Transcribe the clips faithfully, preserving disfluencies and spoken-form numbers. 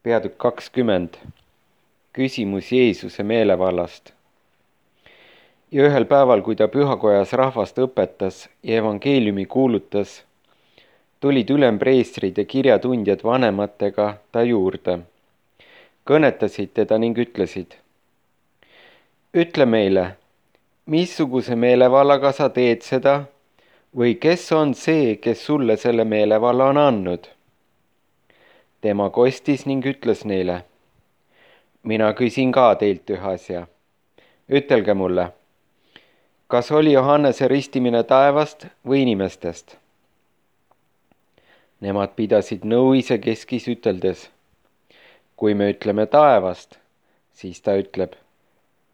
Peatükk kakskümmend. Küsimus Jeesuse meelevallast. Ja ühel päeval, kui ta pühakojas rahvast õpetas ja evangeeliumi kuulutas, tulid ülempreestrid ja kirjatundjad vanematega ta juurde. Kõnetasid teda ning ütlesid: ütle meile, missuguse meelevallaga sa teed seda või kes on see, kes sulle selle meelevalla on andnud? Tema kostis ning ütles neile: mina küsin ka teilt ühe asja. Ütelge mulle, kas oli Johannese ristimine taevast või inimestest? Nemad pidasid nõu isekeskis üteldes: kui me ütleme taevast, siis ta ütleb,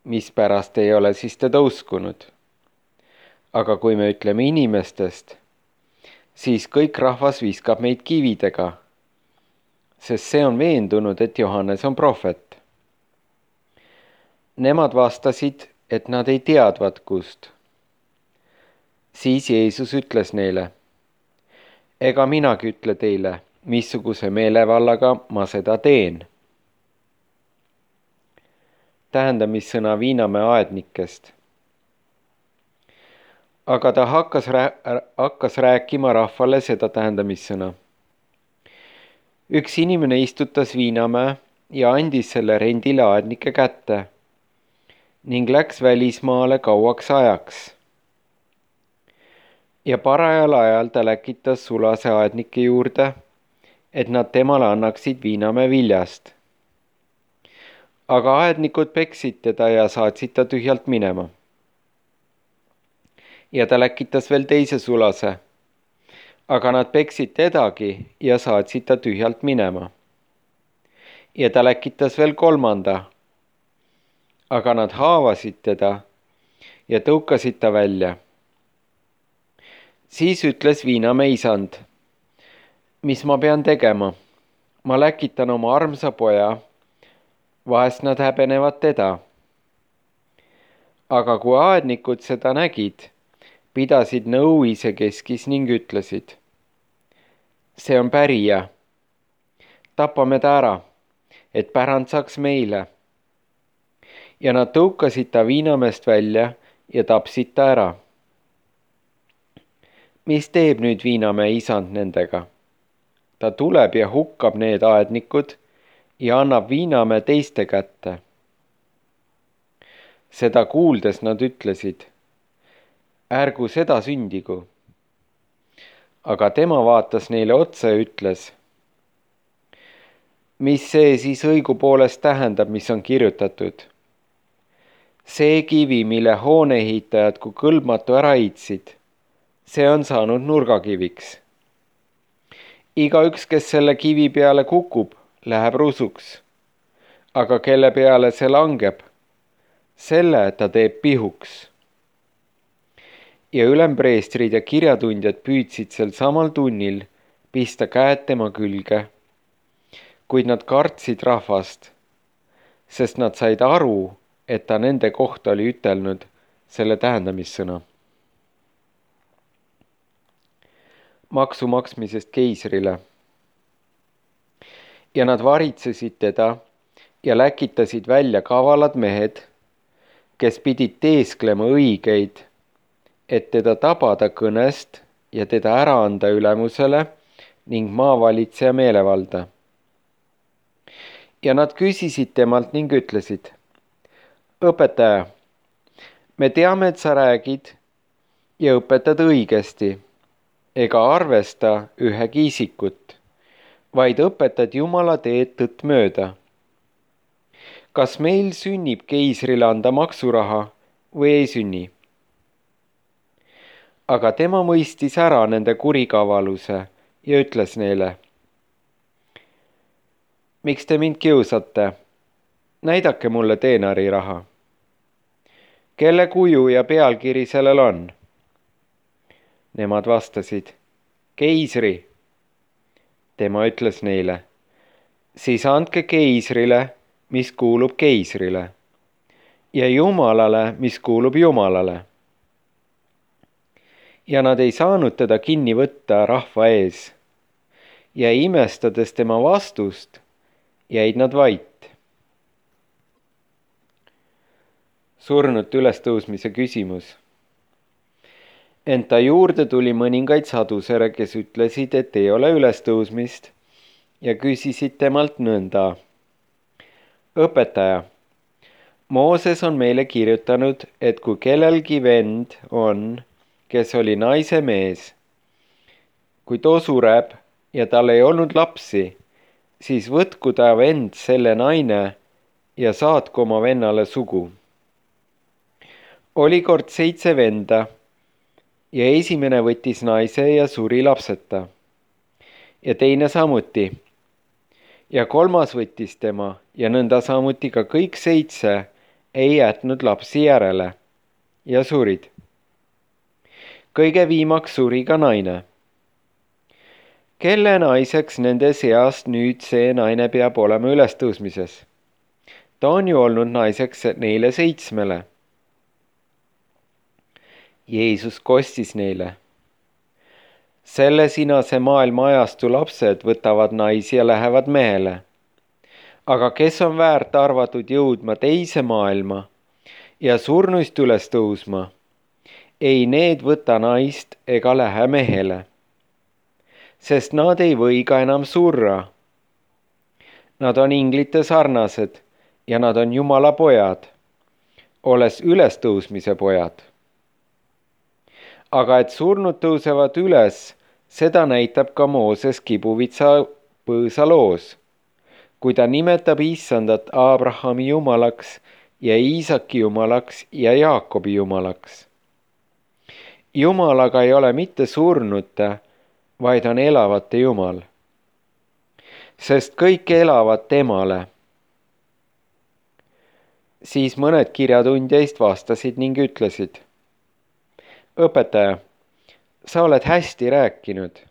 mispärast ei ole siis teda uskunud. Aga kui me ütleme inimestest, siis kõik rahvas viskab meid kividega, sest see on veendunud, et Johannes on prohvet. Nemad vastasid, et nad ei teadvat kust. Siis Jeesus ütles neile: ega minagi ütle teile, missuguse meelevallaga ma seda teen. Tähendamissõna Viinamäe aednikest. Aga ta hakkas, rää- hakkas rääkima rahvale seda tähendamissõna. Üks inimene istutas Viinamäe ja andis selle rendile aednike kätte ning läks välismaale kauaks ajaks. Ja parajal ajal ta läkitas sulase aednike juurde, et nad temale annaksid Viinamäe viljast. Aga aednikud peksid teda ja saatsid ta tühjalt minema. Ja ta läkitas veel teise sulase, aga nad peksid tedagi ja saatsid ta tühjalt minema. Ja ta läkitas veel kolmanda, aga nad haavasid teda ja tõukasid ta välja. Siis ütles Viinamäe isand: mis ma pean tegema? Ma läkitan oma armsa poja, vahest nad häbenevad teda. Aga kui aednikud seda nägid, pidasid nõu isekeskis ning ütlesid: see on pärija, tapame ta ära, et pärand saaks meile. Ja nad tõukasid ta Viinamäest välja ja tapsid ta ära. Mis teeb nüüd Viinamäe isand nendega? Ta tuleb ja hukkab need aednikud ja annab Viinamäe teiste kätte. Seda kuuldes nad ütlesid: ärgu seda sündigu. Aga tema vaatas neile otsa ja ütles: mis see siis õigupoolest tähendab, mis on kirjutatud? See kivi, mille hooneehitajad kui kõlbmatu ära heitsid, see on saanud nurgakiviks. Igaüks, kes selle kivi peale kukub, läheb rusuks, aga kelle peale see langeb, selle ta teeb pihuks. Ja ülempreestrid ja kirjatundjad püüdsid sel samal tunnil pista käed tema külge, kuid nad kartsid rahvast, sest nad said aru, et ta nende kohta oli ütelnud selle tähendamissõna. Maksu maksmisest keisrile. Ja nad varitsesid teda ja läkitasid välja kavalad mehed, kes pidid teesklema õigeid, et teda tabada kõnest ja teda ära anda ülemusele ning maavalitseja meelevalda. Ja nad küsisid temalt ning ütlesid: õpetaja, me teame, et sa räägid ja õpetad õigesti, ega arvesta ühegi isikut, vaid õpetad Jumala teed tõtt mööda. Kas meil sünnib keisrile anda maksuraha või ei sünni? Aga tema mõistis ära nende kurikavaluse ja ütles neile: miks te mind kiusate? Näidake mulle teenariraha. Kelle kuju ja pealkiri sellel on? Nemad vastasid: keisri. Tema ütles neile: siis andke keisrile, mis kuulub keisrile, ja Jumalale, mis kuulub Jumalale. Ja nad ei saanud teda kinni võtta rahva ees ja imestades tema vastust, jäid nad vait. Surnute ülestõusmise küsimus. Ent ta juurde tuli mõningaid sadusere, kes ütlesid, et ei ole ülestõusmist ja küsisid temalt nõnda. Õpetaja, Mooses on meile kirjutanud, et kui kellelgi vend on, kes oli naise mees, kui too sureb ja tal ei olnud lapsi, siis võtku ta vend selle naine ja saatku oma vennale sugu. Oli kord seitse venda ja esimene võttis naise ja suri lapseta ja teine samuti ja kolmas võttis tema ja nõnda samuti ka kõik seitse ei jätnud lapsi järele ja surid. Kõige viimaks suri ka naine. Kelle naiseks nende seast nüüd see naine peab olema ülestõusmises? Ta on ju olnud naiseks neile seitsmele. Jeesus kostis neile. Selle sinase maailma ajastu lapsed võtavad naisi ja lähevad mehele. Aga kes on väärt arvatud jõudma teise maailma ja surnuist üles tõusma, ei need võta naist ega lähe mehele, sest nad ei või ka enam surra. Nad on inglite sarnased ja nad on Jumala pojad, olles ülestõusmise pojad. Aga et surnud tõusevad üles, seda näitab ka Mooses kibuvitsa põõsa loos, kui ta nimetab Issandat Abrahami jumalaks ja Iisaki jumalaks ja Jaakobi jumalaks. Jumal aga ei ole mitte surnute, vaid on elavate Jumal, sest kõik elavad temale. Siis mõned kirjatundjaist vastasid ning ütlesid. Õpetaja, sa oled hästi rääkinud.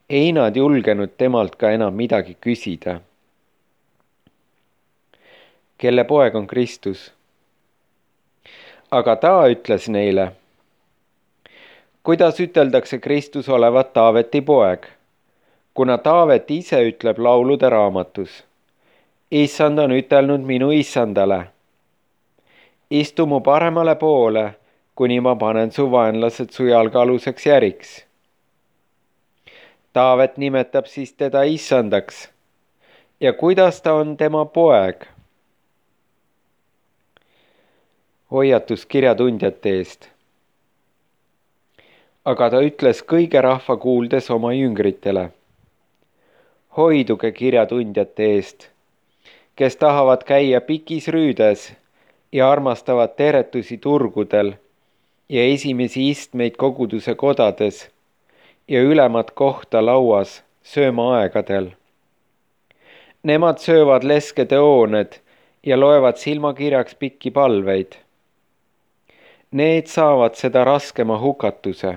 Ei nad julgenud temalt ka enam midagi küsida. Kelle poeg on Kristus? Aga ta ütles neile. Kuidas üteldakse Kristus olevat Taaveti poeg, kuna Taavet ise ütleb laulude raamatus. Issand on ütelnud minu issandale. Istu mu paremale poole, kuni ma panen su vaenlased su jalgealuseks järiks. Taavet nimetab siis teda issandaks. Ja kuidas ta on tema poeg? Hoiatus kirjatundjate eest. Aga ta ütles kõige rahva kuuldes oma jüngritele. Hoiduge kirjatundjate eest, kes tahavad käia pikis rüüdes ja armastavad teretusi turgudel ja esimesi istmeid koguduse kodades ja ülemat kohta lauas sööma aegadel. Nemad söövad leskede hooned ja loevad silmakirjaks pikki palveid. Need saavad seda raskema hukatuse.